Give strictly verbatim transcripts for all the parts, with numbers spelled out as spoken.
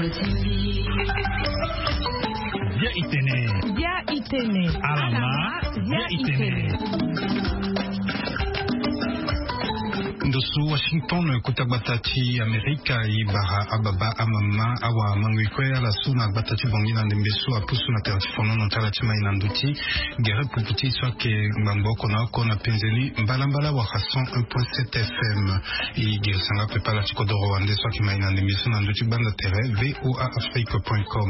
Bia itene. Bia itene. Alama. Bia itene. Ndo so Washington, kota gbata ti Amerika, e bara ababa, amama, awa, mango, e kue ala so na gbata ti Bangui na ndembe so apusu na tere ti fonono ti ala ti mai na ndö ti gere pupu ti so ayeke ngbangbo oko na oko na penze ni mbalambala wala cent un point sept F M. E girisa nga pepe ala ti kodoro wande so ayeke mai na ndembe so na ndö ti gbanda tere V O A Afrique point com.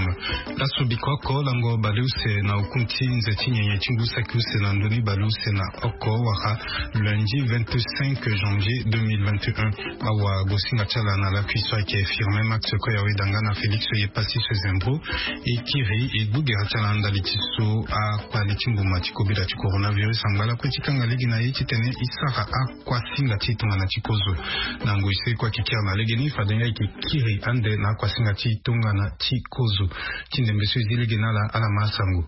Laso bikoko lango baleuse na oku ti nze ti nyenye ti ngu saki use na ndö ni baleuse na oko wala lundi vingt-cinq janvier deux mille vingt et un. Awa gosinga ti ala na lakui so ayeke Firmin Max Koyawe Danga na Félix Yepasi Sezembro. E kiri e gbu gere ti ala na ndali ti so akpali ti mbuma ti kobela ti coronavirus angba lakue ti kanga lege na ye titene e sara akuasinga ti tongana ti kozo. Na ngoi so e kue ayeke kiri na legeni fade nga e yeke kiri ande na akuasinga ti tongana ti kozo. Ti ndembe so e zi lege na ala, ala ma asango.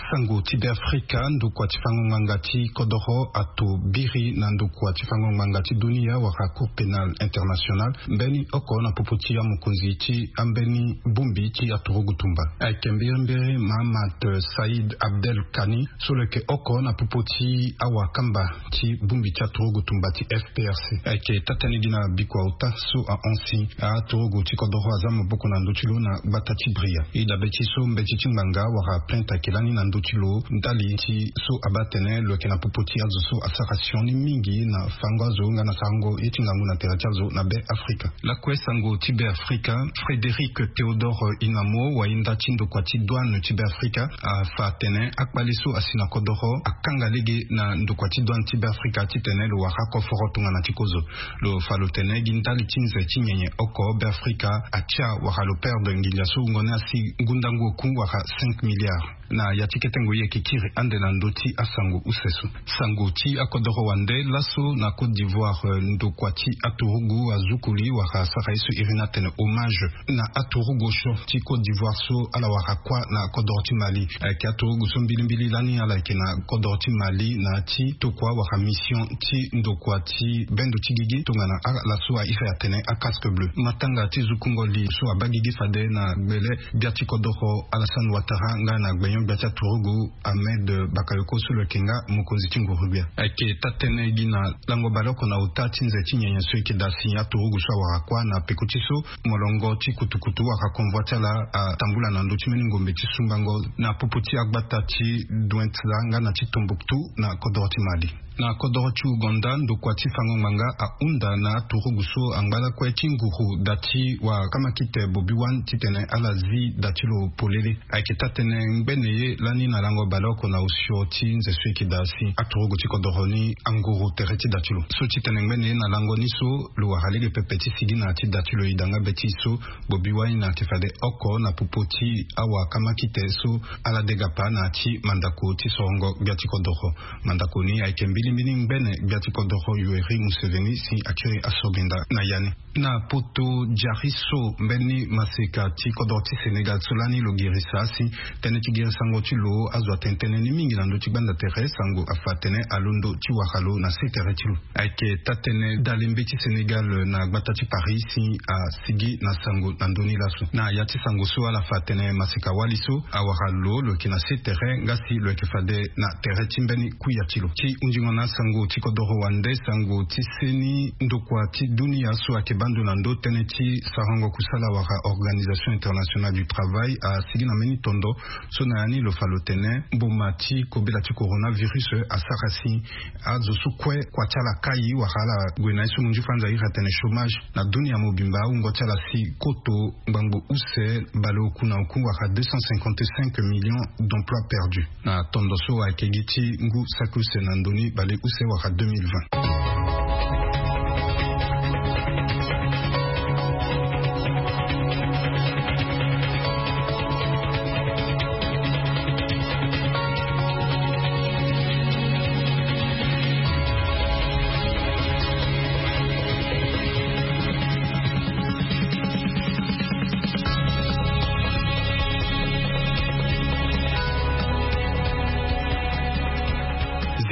Sango ti Beafrika, ndokua ti fango ngbanga ti kodoro ato biri na ndokua ti fango ngbanga ti dunia wala Cour pénale internationale mbeni oko na popo ti amokonzi ti ambeni bongbi ti aturugu tumba. Ayeke mbirimbiri Mahamat Saïd Abdel Kani so lo yeke oko na popo ti awakamba ti bongbi ti aturugu tumba ti F P R C. Ayeke taa-tënë gi na bikua ota so ahon si aturugu ti kodoro aza maboko na ndö ti lo na gbata ti Bria. E dabe ti so mbeti ti ngbanga wala plainte ayeke lani na ndö ti lo ndali ti so abaa atene lo yeke na popo ti azo so asara sioni mingi na fango azo nga na sarango ye ti ngangu na tere ti azo na Be Afrika. Lakue sango ti Be Afrika, Frédéric Théodore Inamo, wayenda ti ndokua ti douane ti Be Afrika, afa atene akpali so asi na kodoro akanga lege na ndokua ti douane ti Be Afrika titene lo wara koforo tongana ti kozo. Lo fa lo tene gi ndali ti nze ti nyenye oko Be Afrika atia wala lo perdre nginza so wungo ni asi ngundangu oku wala cinq milliards. Na ya ti kete ngoi e yeke kiri ande na ndö ti asango use so. Sango ti akodoro wande laso na Côte d'Ivoire, eh, ndokua ti aturugu azukuli wala asara ye so iri ni atene hommage na aturugu osio ti Côte d'Ivoire so ala wara kuâ na kodoro ti Mali. Ayeke aturugu so mbilimbili lani ala yeke na kodoro ti Mali na ya ti tokua wala mission ti ndokua ti bendo ti gigi tongana ala so a iri atene a casque bleu. Matanga ti zukungo li so abaa gigi fade na gbele gbia ti kodoro Alassane Ouattara nga na gbenyo-gbia ti aturugu Ahmed Bakayoko so lo yeke nga mokonzi ti nguru-gbia. Ayeke taa-tënë gi na lango baleoko na ota ti nze ti nyenye so e yeke daa si aturugu so awara kuâ na peko ti so molongo ti kutukutu wala convoi ti ala atambula na ndö ti mbeni ngombe ti sumbango na popo ti agbata ti Douentza nga na ti Tombouctou na kodoro ti Mali. Na kodoro ti Ouganda, ndokua ti fango ngbanga ahunda na aturugu so angba lakue ti nguru da ti wakamakite Bobi Wine titene ala zi da ti lo polele. Ayeke taa-tënë ngbene ye lani na lango baleoko na osio ti nze so e yeke daa si aturugu ti kodoro ni anguru tere ti da ti lo. So ti tene ngbene ye na lango ni so lo wara lege pepe ti sigi na ya ti da ti lo e daa nga be ti so Bobi Wine ayeke fade oko na popo ti awakamakite so ala degapa na ya ti mandako ti sorongo gbia ti kodoro. Mandako ni ayeke mbilimbili ngbene gbia ti kodoro Yoweri Museveni si akiri asobinda na ya ni. Na poto diari so mbeni maseka ti kodoro ti Sénégal so lani lo girisa si tënë ti girisango ti lo azo atene tënë ni mingi na ndö ti gbanda tere, sango afa atene alondo ti wara lo na se tere ti lo. Ayeke taa-tënë dale mbeti Sénégal na gbata ti Paris si asigi na sango na ndö ni laso. Na ya ti sango so ala fa atene maseka wali so awara lo, lo yeke na se tere nga si lo yeke fade na tere ti mbeni kuya ti lo. Ti hunzingo na asango ti kodoro wande, sango ti seni ndokua ti dunia so ayeke baa ndo na ndö tënë ti sarango kusala wala Organisation Internationale du Travail asigi na mbeni tondo so na ya ni lo fa lo tene mboma ti kobela ti coronavirus asara si azo so kue kua ti ala kai wala ala gue na ye so munzu fanza iri atene chômage na dunia mobimba, awungo ti ala si koto ngbangbo use baleoku na oku wala deux cent cinquante-cinq millions d'emplois perdus. Na tondo so ayeke gi ti ngu saki use na ndö ni baleuse wala deux mille vingt.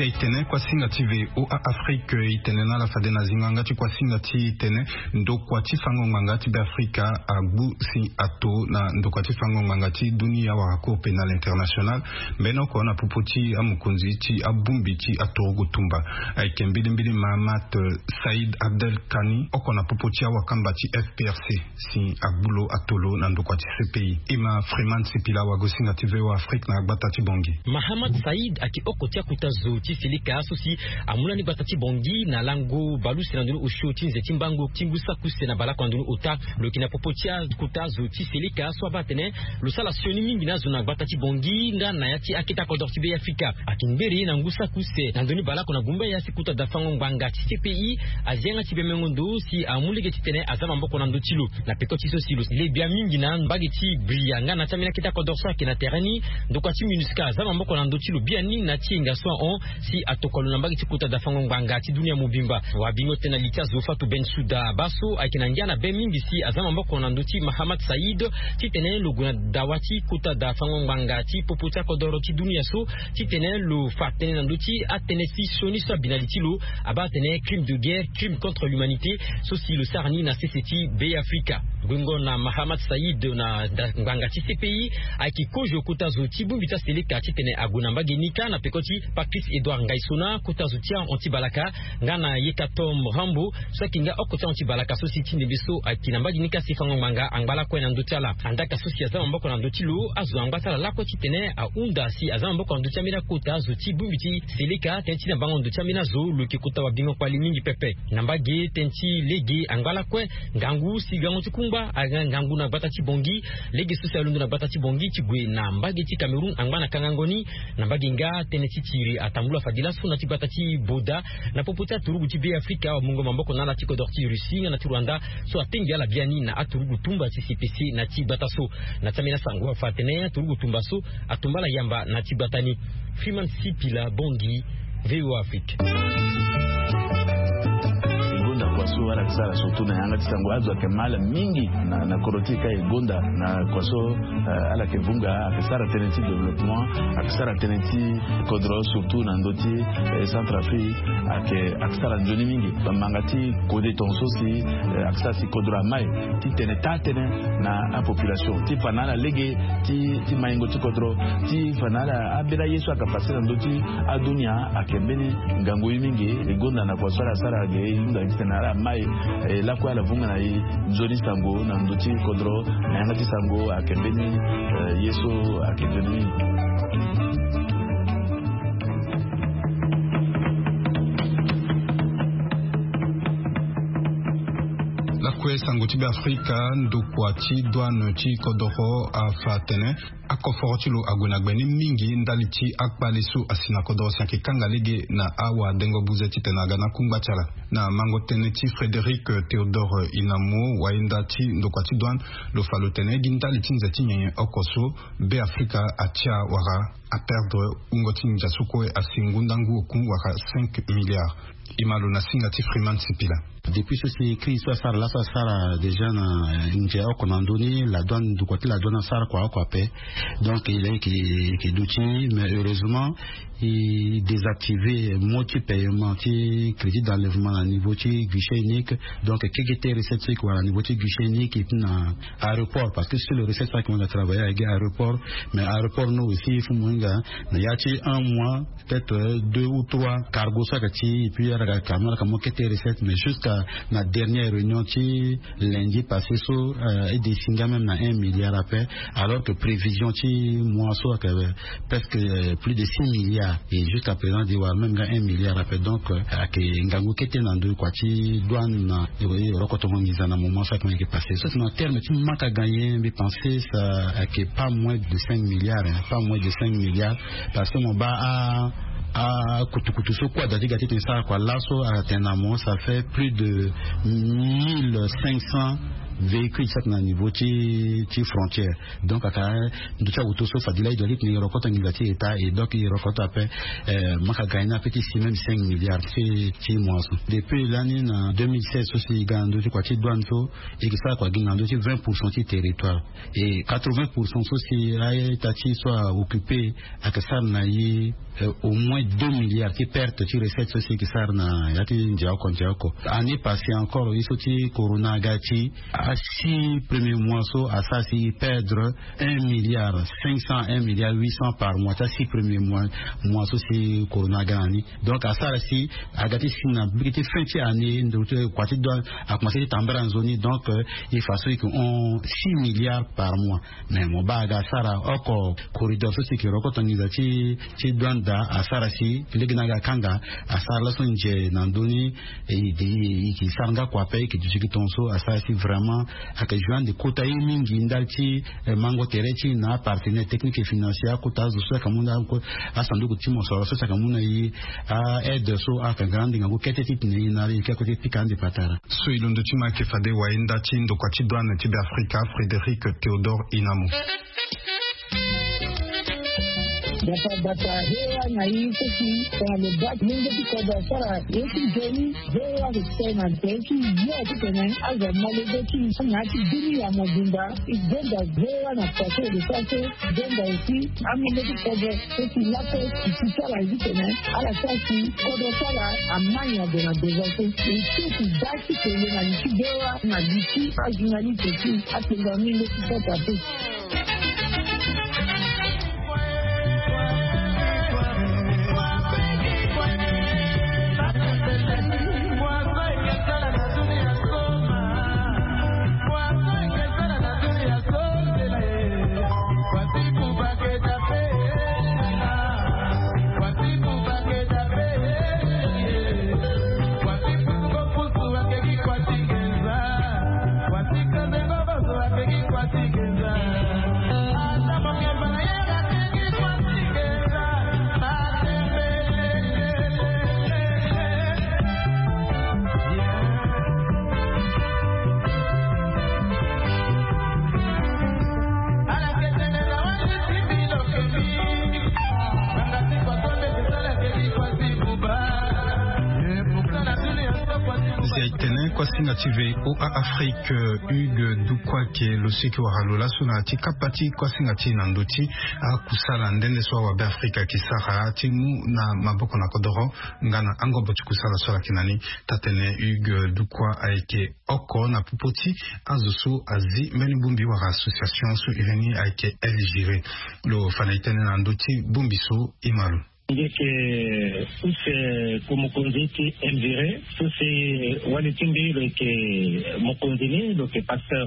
E tene kuasinga ti voa afrique e tene na ala fade na zingo yanga ti kuasinga ti e tene ndokua ti fango ngbanga ti be afrika agbu si ato na ndokua ti fango ngbanga ti dunia wala cour pénale internationale mbeni oko na popo ti amokonzi ti abongbi ti aturugu tumba. Ayeke mbilimbili mahamat saïd abdel kani oko na popo ti awakamba ti fprc si agbu lo ato lo na ndokua ti cpi. E ma freeman sipila wagosinga ti voa afrique na agbata ti bongi. Mahamat saïd ayeke oko ti akota zo ti seleka so si amu lani gbata ti bongi na lango baleuse na ndoni osio ti nze ti mbango ti ngu saki use na baleoko na ndoni ota. Lo yeke na popo ti akota zo ti seleka so abaa atene lo sara sioni mingi na azo na gbata ti bongi nga na ya ti akete akodoro ti be afrika. Ayeke ngbere na ngu saki use na ndoni baleoko na gumba ya si kota dafango ngbanga ti cpi azi yanga ti bemengo ndo si amu lege titene aza maboko na ndö ti lo. Na peko ti so si lo le bia mingi na mbage ti bria nga na ti ambeni akete akodoro so ayeke na tere ni. Ndokua ti minusca aza maboko na ndö ti lo biani na ti yenga so ahon si atokua lo na mbage ti kota dafango ngbanga ti dunia mobimba. Wabingo tena li ti azo fatu ben suda baa so ayeke na ngia na be mingi si aza maboko na ndö ti mahamat saïd titene lo gue na dawa ti kota dafango ngbanga ti popo ti akodoro ti dunia so titene lo fa tënë na ndö ti atënë ti sioni so abi na li ti lo. Abaa atene crime de guerre, crime contre l'humanité, so si lo sara ni na sese ti be afrika. Guengo na mahamat saïd na ngbanga ti cpi ayeke kozo kota zo ti bongbi ti aseleka titene ague na mbage ni kâ na peko ti patrice édouard ngaisona kota zo ti ahon ti balaka nga na yekatom rambo so ayeke nga oko ti ahon ti balaka so si ti ndembe so ayeke na mbage ni kâ si fango ngbanga angba lakue na ndö ti ala. Andaka so si aza maboko na ndö ti lo azo angba ti ala lakue titene ahunda si aza maboko na ndö ti ambeni akota zo ti bongbi ti seleka tënë ti na bango ndo ti ambeni azo lo yeke kota wabingo kpali mingi pepe. Na mbage tënë ti lege angba lakue ngangu si gango ti kungba aga ngangu na gbata ti bongi. Lege so si alondo na gbata ti bongi ti gue na mbage ti cameroun angba na kangango ni. Na mbage nga tënë ti tiri atambula fade laso na ti gbata ti boda na popo ti aturugu ti be afrika amungo maboko na ala ti kodoro ti russie nga na ti rwanda so atengi ala biani na aturugu tumba ti cpc na ti gbata so. Na ti ambeni asango afa atene aturugu tumba so atumba ala yamba na ti gbata ni. Freeman sipila bongi. Voa afrique. E gonda kua so ala yeke sara surtout na yanga ti sango azo ayeke ma ala mingi na kodro ti e ka e gonda na kua so ala yeke vunga ayeke sara tënë ti développement ayeke sara tënë ti kodro surtout na ndö ti centre afrique. Ayeke sara nzoni mingi bamanga ti kode tonga so si ayeke sara si kodro amai ti tene taa tënë na apopulation ti fa na ala lege ti maingo ti kodro ti fa na ala ambeni aye so ayeke pase na ndö ti adunia. Ayeke mbeni ngangu ye mingi e gonda na kua so ala sara ge e hunda titene ala mai lakue ala vunga na e nzoni sango na ndö ti kodro na yanga ti sango ayeke mbeni ye so ayeke nzoni mingi. Lakue sango ti be afrika ndokua ti douane ti kodoro afa atene akoforo ti lo ague na gbe ni mingi ndali ti akpale so asi na kodoro si ayeke kanga lege na awadengo buze titene aga na akungba ti ala. Na mango tënë ti frédéric théodore inamo wayenda ti ndokua ti douane lo fa lo tene gi ndali ti nze ti nyenye oko so be afrika atia wala aperdre wungo ti nginza so kue asi ngundangu oku wala cinq milliards. E ma lo na singa ti freeman sipila. Depuis so si crise so asara laso asara déjà na nze oko na ndö ni la douane ndokua ti la douane asara kua oko ape. Donc il est ke duti mais heureusement e désactiver mot ti paiement ti crédit d'enlèvement na niveau ti guichet unique. Donc keke ti recette so e ke wara na niveau ti guichet unique e ti na aéroport parce que sur le recette so ayeke mo hinga travailler ayeke aéroport. Mais aéroport no aussi il faut mo hinga na ya ti un mois peut-être deux ou trois cargo so ayeke ti et puis ala yeke ka mo kete recette mais jusqu'à na dernière réunion ti lundi passé so e décide nga même na un milliard ape. Alors que prévision ti mois so ayeke presque plus de six milliards et jusqu'à présent di wara même nga un milliard ape donc ayeke ngangu kete na ndö kua ti douane na rokotongo nginza na moment so ayeke mo yeke passé so si na terme ti manque à gagner mbi pensé ça ayeke pas moins de cinq milliards. Pas moins de cinq milliards. Parce que mo baa akutukutu so kue ada ti ga titene sara kua laso atene na mo ça fait plus de mille cinq cents Véhicule saki na niveau ti ti frontière. Donc aka ndo ti awuto so fadila i doit ti tene i rokoto nginza ti état et donc i rokoto ape. Maka gagner ape ti si même cinq milliards ti ti mois so. Depuis lani na deux mille seize so si i ga na ndo ti kua ti douane so, i ke sara kua gi na ndo ti vingt pour cent ti territoire. Et quatre-vingts pour cent so si a état ti so a occupé, aka sara na i au moins deux milliards ti perte ti recette so si i ke sara na ya ti ndia oko ndia oko. Année passée encore i so ti corona aga ti a six premier mois so asara si i perdre un milliard cinq cents un milliard huit cents par mois ti a six premier mois. Mois so si corona aga na ni. Donc asara si aga ti si na biki ti fin ti année ndo ti kua ti douane akomanse ti tambara nzoni. Donc il faut so i ke hon six milliards par mois. Mais mo baa aga asara oko corridor so si i ke rokoto nginza ti ti douane daa asara si lege na aga akanga. Asara laso nze na ndoni. I ke sara nga kua ape i ke duti gi tongo so asara si vraiment aka joindre kota ye mingi ndali ti mango tere ti na apartenaire technique et financier akota azo so aka mu na asanduku ti mosoro so aka mu na ye. Aide so aka ga ande ngangu kete ti tene ye na ye ke akote pika ande patara. So i londo ti ma ayeke fade wayenda ti ndokua ti douane ti beafrika frédéric théodore inamo. Dapa bata hewa na i so si tongana lo baa ti lenge ti kodro asara ye ti nzoni. Hewa lo tene na nzoni ti yo ti tene azo amolenge ti na ya ti bini ya mobimba. I donda hewa na kua so lo sara so. I donda aussi amolenge ti kodro so si lape i ti sara ye ti tene ala sara si kodro sara amai na do na deza so. I ti ti da ti tene na li ti hewa na li ti ajournaliste ti atenda amolenge ti kota so. Zia itene kuasinga ti voa afrique hugues dukua ke lo siki wara lo laso na ya ti kapa ti kuasinga ti na ndö ti akusala nde nde so awabe afrika ke sara ti mu na maboko na kodoro. Nga na angobo ti kusala so ala yeke na ni. Taa-tene hugues dukua ayeke oko na popo ti azo so azi mbeni bongbi wala association so iri ni ayeke el gire. Lo fa na e tënë na ndö ti bongbi so e ma lo. Nge yeke use ko mokonzi ti el gire so si wali ti mbi lo yeke mokonzi ni lo yeke pasteur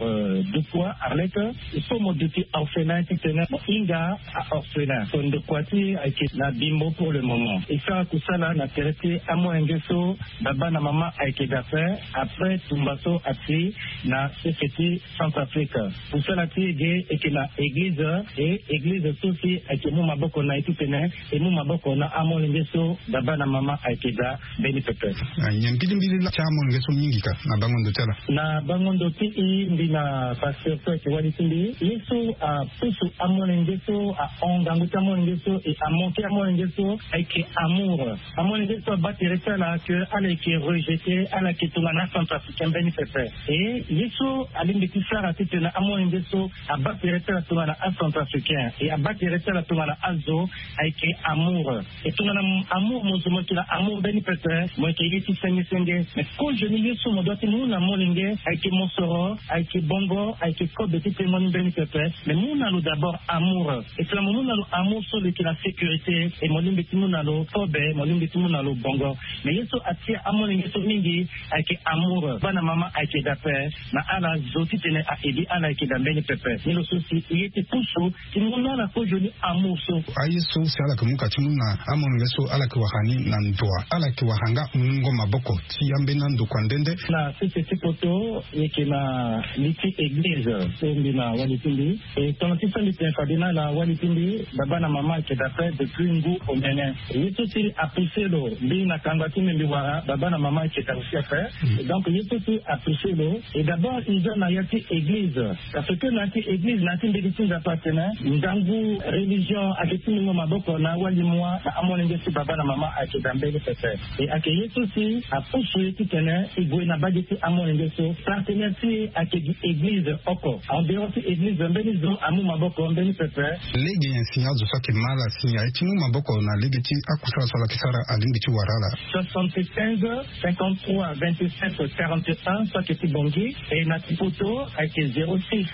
dukua arlette. So mo duti orphelin titene mo hinga a-orphelin so ndokua ti ayeke na bimbo pour le moment e sara kusala na tere ti amolenge so baba na mama ayeke dape. Après tumba so ati na sese ti centrafrique kusala ti e ge eke na eglize. E eglize so si ayeke mu maboko na e titene e mu maboko na amolenge so baba na mama ayeke daa mbeni pepe. Nyen mbilimbili laa ti amolenge so mingi ka na bango ndo ti ala? Na bango ndo ti i mbi na pasteur so ayeke wali ti mbi ye so apusu amolenge so ahon ngangu ti amolenge so e amonke amolenge so ayeke amour. Amolenge so abaa tere ti ala ke ala yeke rejete ala yeke tongana acentrafricain mbeni pepe. E ye so alingbi ti sara titene amolenge so abaa tere ti ala tongana acentrafricain e abaa tere ti ala tongana azo ayeke amour. E tongana amour mo zo mo yeke na amour mbeni pepe mo yeke ye ti senge senge. Mais kozoni ye so mo dua ti mu na molenge ayeke mosoro ayeke bongo ayeke kobe ti tengo ni mbeni pepe. Mais mu na lo d'abord amour. E tongana mo mu na lo amour so lo yeke na sécurité e mo lingbi ti mu na lo kobe mo lingbi ti mu na lo bongo. Mais ye so atia amolenge so mingi ayeke amour bana mama ayeke dape na ala zo titene a-edi ala ayeke da mbeni pepe. Ni lo so si e ye ti pusu ti mu na ala kozoni amour so. Aye so si ala yeke mu ka ti mu na Amolenge so ala yeke wara ni na ndoa, ala yeke wara nga mungo maboko ti ambeni andokua nde nde. Na sese ti poto, e yeke na li ti eglize so mbi na wali ti mbi. E tongana ti so mbi tene fade na ala wali ti mbi, baba na mama ayeke daa ape depuis ngu omene. Ye so si apousse lo, mbi na kangba ti mbi mbi wara baba na mama ayeke daa aussi ape. Donc ye so si apousse lo, e d'abord e za na ya ti eglize. Parce que na ya ti eglize, na ya ti mbege ti Nzapa atene ngangu religion ayeke ti mungo maboko na awali moi na amolenge so baba na mama ayeke daa mbeni pepe. E ayeke ye so si apusu ye titene e gue na mbage ti amolenge so. Partenaire ti e ayeke gi eglize oko. En dehors ti eglize, mbeni zo amu maboko mbeni pepe. Lege nyen si azo so ayeke ma ala si aye ti mu maboko na lege ti akusala so ala yeke sara alingbi ti wara ala? Soixante-quinze, cinquante-trois, vingt-sept, quarante et un, so ayeke ti Bangui. E na ti poto ayeke zéro six,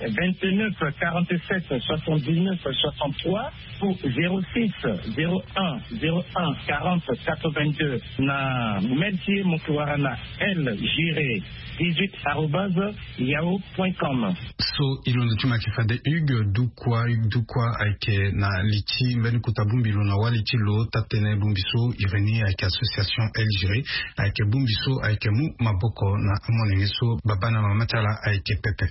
vingt-neuf, quarante-sept, soixante-dix-neuf, soixante-trois, ou zéro six, zéro un, zéro un, quarante, quatre-vingt-deux. Na mail ti e mo yeke wara na L Giré dix-huit arobase yahoo point com. So e londo ti mo ayeke fade Hugues Dukwa. Hugues Dukwa ayeke na li ti mbeni kota bongbi lo na wali ti lo. Taa-tënë bongbi so iri ni ayeke association L Giré. Ayeke bongbi so ayeke mu maboko na amolenge so baba na mama ti ala ayeke pepe.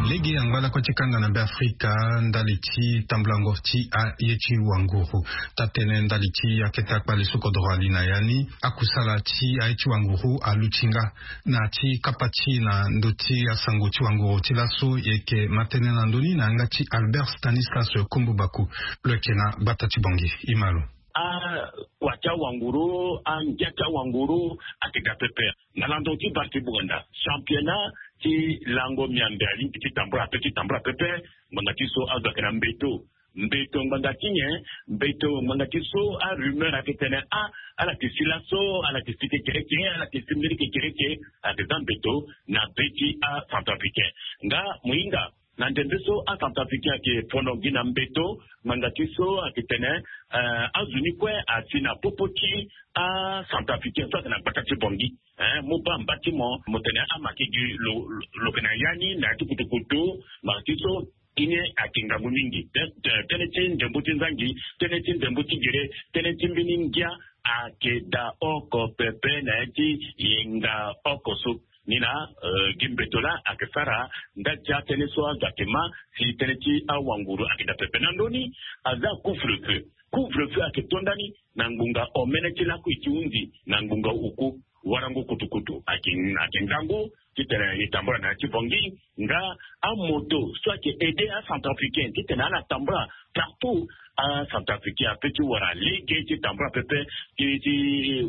Lege angba lakue ti kanga na Beafrika ndali ti tambulango ti aye ti wanguru. Taa-tënë ndali ti akete akpale so kodoro ali na ya ni, akusala ti aye ti wanguru aluti nga. Na ti kapa ti e na ndö ti asango ti wanguru ti laso, e yeke ma tënë na ndö ni na yanga ti Albert Stanislas Kombo Baku. Lo yeke na gbata ti Bangui. E ma lo. Akua ti awanguru, angia ti awanguru ayeke daa pepe. Na landon ti Bangui ti Bougainda, championnat ti lango miambe alingbi ti tambula ape, ti tambula pepe. Ngbanga ti so azo ayeke na mbeto. Mbeto ngbanga ti nyen? Mbeto ngbanga ti so arumeur ayeke tene, ah, ala yeke si laso, ala yeke si ti kereke, ala yeke si mbeni ti kereke. Ayeke za mbeto na be ti acentrafricain. Nga mo hinga na ndembe so acentrafricain ayeke fono gi na mbeto, ngbanga ti so ayeke tene, eh, azo ni kue asi na popo ti acentrafricain so ayeke na gbata ti Bangui. Eh, mo baa mba ti mo, mo tene ama yeke gi lo, lo, lo yeke na ya ni na ya ti kutukutu. Ngbanga ti so, e ni ayeke ngangu mingi. Tê-, tê-, tënë ti ndembo ti nzangi, tënë ti ndembo ti gere, tënë ti mbeni ngia ayeke daa oko pepe na ya ti yenga oko so. Ni na, eh, gi mbeto laa ayeke sara ndali ti atënë so azo ayeke ma si tënë ti awanguru ayeke daa pepe. Na ndö ni, aza couvre-feu. Couvre-feu ayeke to ndani na ngbonga omene ti lakui ti hunzi na ngbonga oku. Warango kutukutu ayeke, ayeke ngangu titene e tambula na ya ti Bangui. Nga amoto so ayeke aidé acentrafricain titene ala tambula partout. Acentrafricain apeut ti wara lege ti tambula pepe, ti, ti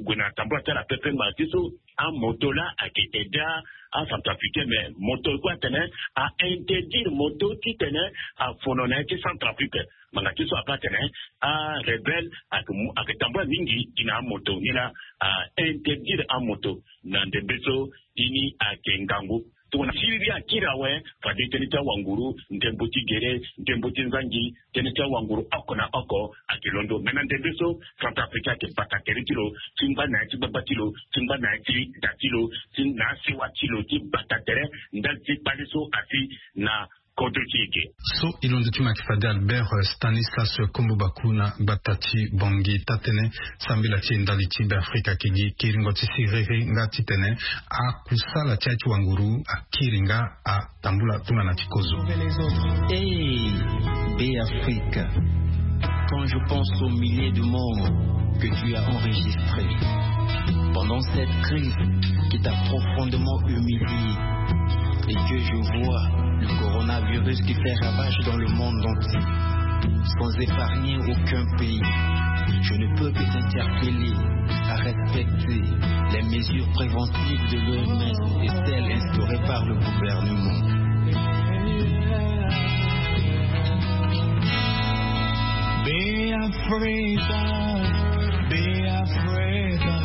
gue na tambula ti ala pepe. Ngbanga ti so amoto laa ayeke aidé acentrafricain, mais moto kue atene a interdire moto titene afono na ya ti Centrafrique. Ngbanga ti so ape atene arebelle ayeke mu, ayeke tambula mingi gi na amoto, ni laa a interdire amoto. Na ndembe so, e ni ayeke ngangu. Tongana siriri akiri awe, fade tënë ti awanguru, ndembo ti gere, ndembo ti nzangi, tënë ti awanguru oko na oko ayeke londo. Me na ndembe so, Centrafrique ayeke bata tere ti lo ti ngba na ya ti gbagba ti lo, ti ngba na ya ti da ti lo, ti na asiwa ti lo ti bata tere ndali ti kpale so asi na kodro ti e ge. So e londo ti mo ayeke fade Albert, eh, Stanislas Kombo Baku na gbata ti Bangui. Taa-tënë sambela ti e ndali ti Beafrika ayeke gi kiringo ti siriri nga titene akusala ti aye ti wanguru akiri nga atambula tongana ti kozo. Hey, Beafrika, quand je pense aux milliers de morts que tu as enregistrés pendant cette crise qui t'a profondément humilié et que je vois le coronavirus qui fait ravage dans le monde entier, sans épargner aucun pays, je ne peux que t'interpeller à respecter les mesures préventives de l'O M S et celles instaurées par le gouvernement. Beafrika, Beafrika. Afrika,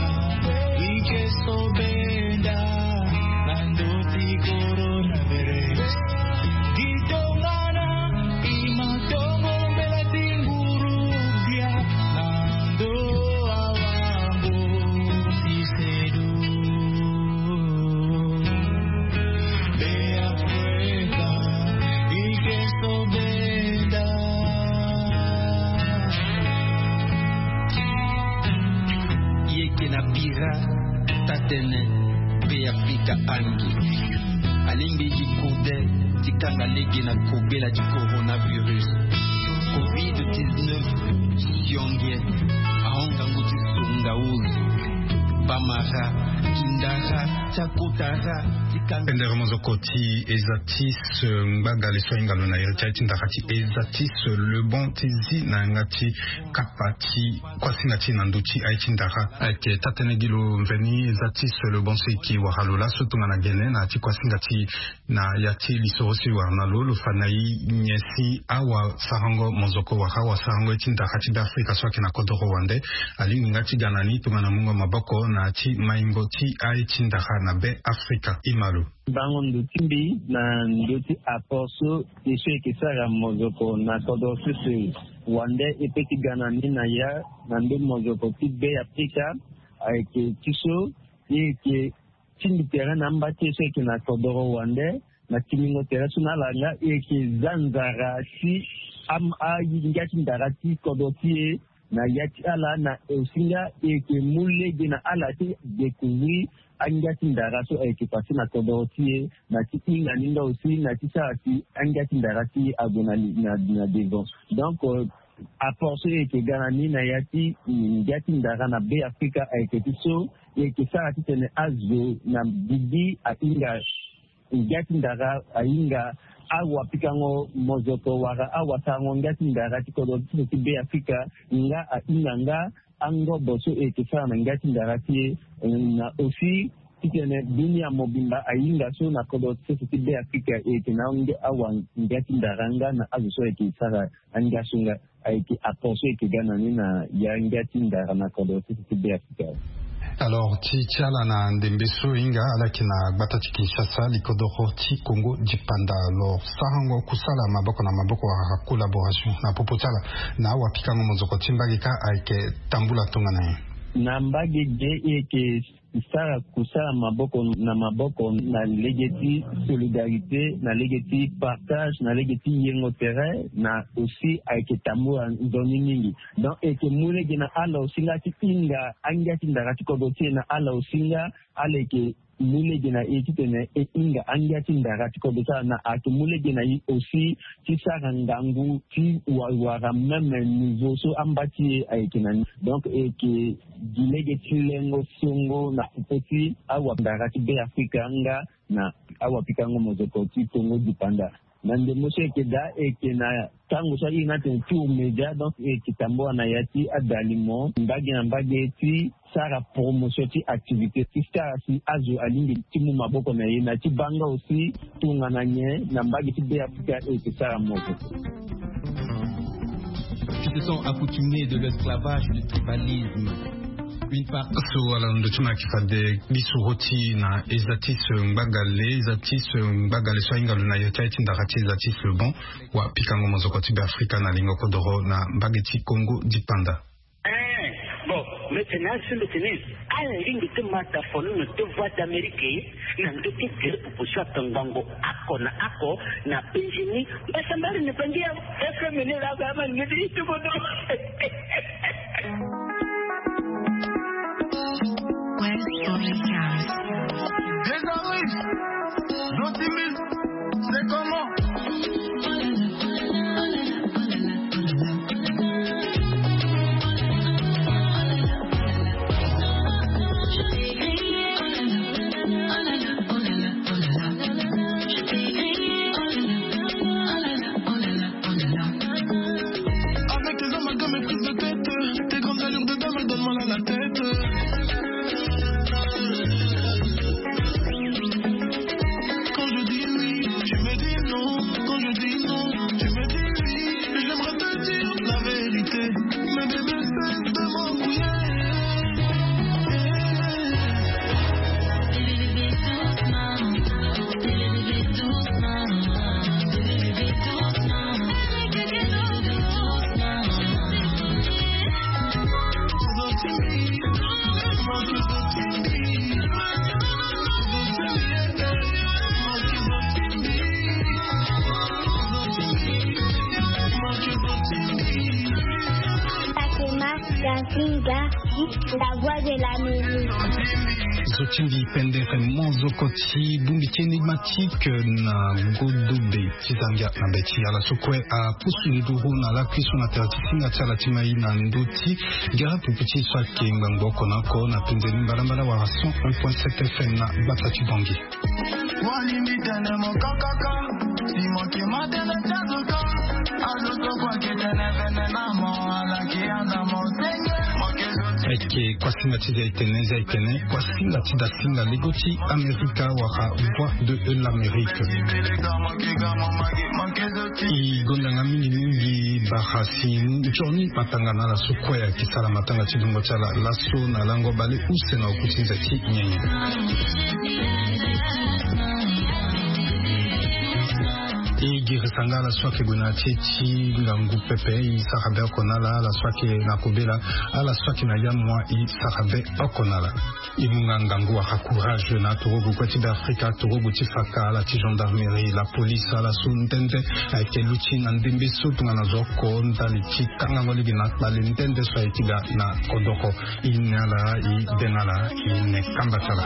i ke so benda na ndö ti coronavirus. Gi tongana i ma tongo mbela ti nguru gbia na ndö awango ti sedu. Be Afrika, i ke so benda. Yeke na bira tatene be Afrika angi. Alingbi gi kode ti kanga lege na kobela ti coronavirus. Covid dix-neuf sionge ahon ngangu ti songa uru. Bamara, kindara, tiakotara, ti kanga pendere mozoko ti eza ti se ngbagale so ahinga lo na iri ti aye ti ndara ti eza ti se lebon ti zi na yanga ti kapa ti kuasinga ti na ndö ti aye ti ndara. Ayeke tatene gi lo mveni eza ti se lebon so e ke wara lo laso tongana gene na ya ti kuasinga ti na ya ti lisoro si wara na lo lo fa na e nyen si awasarango mozoko wala awasarango ye ti ndara ti be Afrika so ayeke na kodoro wande alingbi nga ti ga na ni tongana mungo maboko na ya ti maingo ti aye ti ndara na be Afrika. Ima lo. Bango ndo ti mbi na ndo ti apport so e so e yeke sara mozoko na kodro sese wande e pe ti ga na ni na ya na ndö mozoko ti be Afrika. Ayeke ti so e yeke tingbi tere na amba ti e so e yeke na kodoro wande na tingbingo tere so na ala nga e yeke za nzara ti am- angia ti ndara ti kodro ti e na ya ti ala na osi nga e yeke mu lege na ala ti découvrir angia ti ndara so ayeke passé na kodoro ti e na ti hinga ni nga aussi na ti sara si angia ti ndara ti e ague na, na, na devant. Donc euh, apport so e yeke ga na ni na ya ti ngia ti ndara na be Afrika ayeke ti so e yeke sara titene azo na gigi ahinga ngia ti ndara ahinga awapikango mozoko wala awasarango ngia ti ndara ti kodro ti sese ti be Afrika nga ahinga nga angobo so e yeke sara na ngia ti ndara ti e. Na aussi titene dunia mobimba ahinga so na kodro ti sese ti be Afrika e yeke na ange awa ngia ti ndara nga na azo so e yeke sara angia so nga. Ayeke apport so e yeke ga na ni na ya ngia ti ndara na kodro ti sese ti be Afrika. Alors ti ti ala na ndembe so e hinga ala yeke na gbata ti Kinshasa likodoro ti Congo dipanda. Alors sarango kusala maboko na maboko wala collaboration na popo ti ala na awapikango mozoko ti mbage kâ ayeke tambula tongana nyen? Na mbage ge e yeke sara kusala maboko na maboko na lege ti solidarité na lege ti partage na lege ti yengo tere na aussi ayeke tambula nzoni mingi. Donc e yeke mu lege na ala aussi nga ti hinga angia ti ndara ti kodro ti e na ala aussi nga ala yeke mu lege na e titene e hinga angia ti ndara ti kodro ti ala na ayeke mu lege na e aussi ti sara ngangu ti wawara même niveau so amba ti e ayeke na ni. Donc e yeke gi lege ti lengo songo na popo ti awandara ti be Afrika nga na awapikango mozoko ti Congo dipanda. Na ndembo so e yeke daa e yeke na tango so airi ni atene tour média donc e yeke tambula na ya ti adalimo mbage na mbage ti sara promotion ti activité ti sara si azo alingbi ti mu maboko na ye na ti baa nga aussi tongana nyen na mbage ti be Afrika e yeke sara moko. Qui se sont accoutumés de l'esclavage, du tribalisme. Une part so ala na ndo ti ma yeke fade lisoro ti na eza ti se ngbagale eza ti se ngbagale so ahinga lo na ya ti aye ti ndara ti eza ti se bon. Wa pikango mozoko ti be Afrika na lingo kodoro na mbage ti Congo dipanda. Eh, bon, maintenant si le tennis ala lingbi ti ma tafono na deux voix d'Amérique na ndo ti gere popo so atongbango ako na ako na penjini mbasambari na pangi ya F M N la ba man ngiti itubodo. West Story House. Désormais, l'optimisme, c'est comment? Avec tes amalgames et prises de tête, tes grandes allures de dame, elles donnent mal à la tête. Quand je dis oui, tu me dis non. Quand je dis non, Singa, la voix de l'Amérique. Zo ti mbi pendere mo zo koti bongbi ti énigmatique na godobe ti Zambia na be ti ala so kue apusu nduru na lakui so na tere ti singa ti ala ti mai na ndö ti gere pupu ti so ayeke ngbangbo oko na oko na penze ni mbalambala wala cent un point sept F M na gbata ti Bangui. Walimbi tene mo kakaka, si mo ke ma tene ti azo ka, azo so kue ake tene vene na mo, ala ke yanda mo senge, mo ke zo ti. Ayeke kuasinga ti zia etene, zia etene, kuasinga ti dasinga lego ti Amerika wala Voix de l'Amérique. E gonda nga mingi mingi bara si nzoni matanga na ala so kue ayeke sara matanga ti dungo ti ala laso na lango bale use na oku ti nze ti nyenye. E girisa nga ala so ayeke gue na ya ti e ti ngangu pepe, e sara be oko na ala, ala so ayeke na kobela, ala so ayeke na yamua, e sara be oko na ala. E mu nga ngangu wala courage na atorogo kue ti Beafrika, atorogo ti faka, ala ti gendarmerie, la police, ala so nde nde ayeke luti na ndembe so tongana zo oko ndali ti kangango lege na kpale nde nde so aye ti ga na kodoro. E ne ala, e de na ala, e ne kamba ti ala.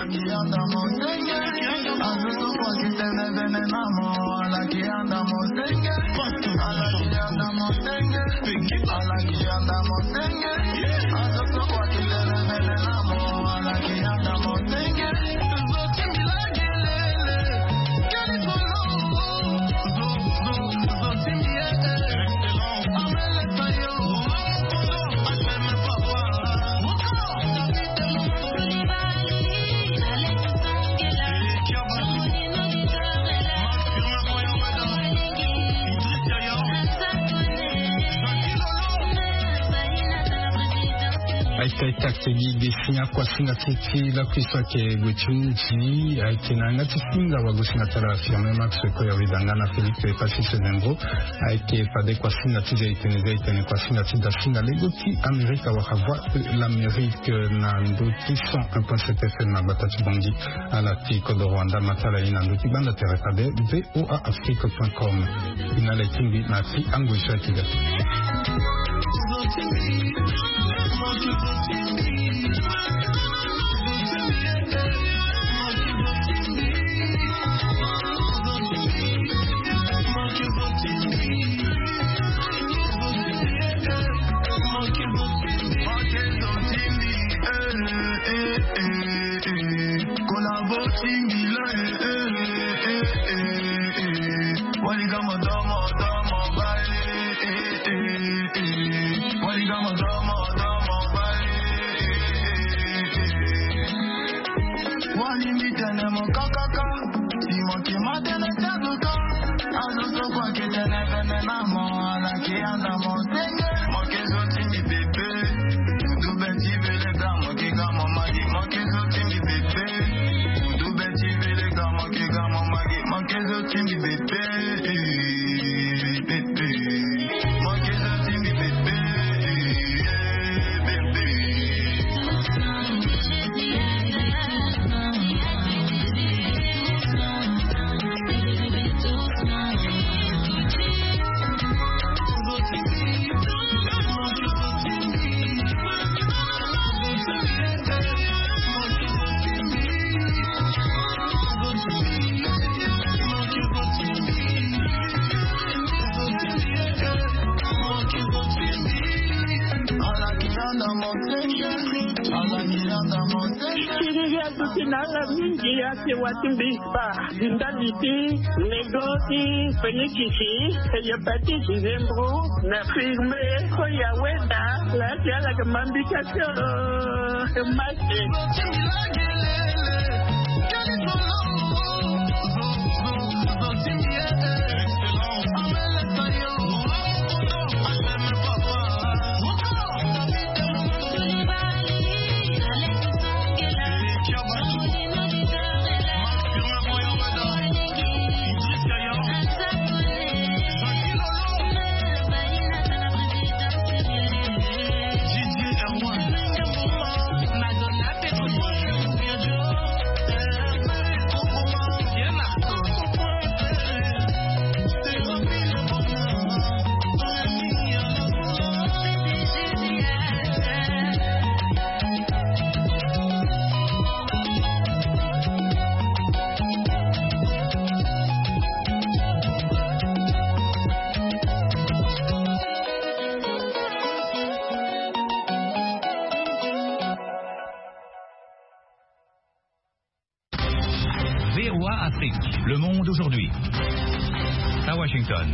Aita aita ake gi ge si akuasinga ti ti lakui so ake gue ti mundi ayeke na yanga ti singa wagosinga ti ala Firmin Max Koya Widanga na Félix Epassi Sevengo. Ayeke fade kuasinga ti zia etene, zia etene kuasinga ti dasinga lego ti Amerika wala Voix de l'Amérique na ndö ti cent un point sept F M na gbata ti Bangui. Ala ti kodoro wanda ma ti ala ye na ndö ti gbanda tere fade V O A Afrique point com. E na ala e tingbi na ti angoi so ayeke ga. Walimbi tene mo kakaka, si mo ke ma tene ti azo ka, azo so kue ake tene vene na mo, ala ke yanda mo senge, mo ke zo ti mbi pepe. Udu be ti vele ga, mo ke ga mo magi, mo ke zo ti mbi pepe. Udu be ti vele ga, mo ke ga mo magi, mo ke zo ti mbi pepe. Siriri aduti na ala mingi ake wati mbi kpa. Ndali ti nego ti fenikisi hepatite zembro na firme ko ya weda la ti ala ke mambi kasi. Masi. Afrique, le monde aujourd'hui. À Washington.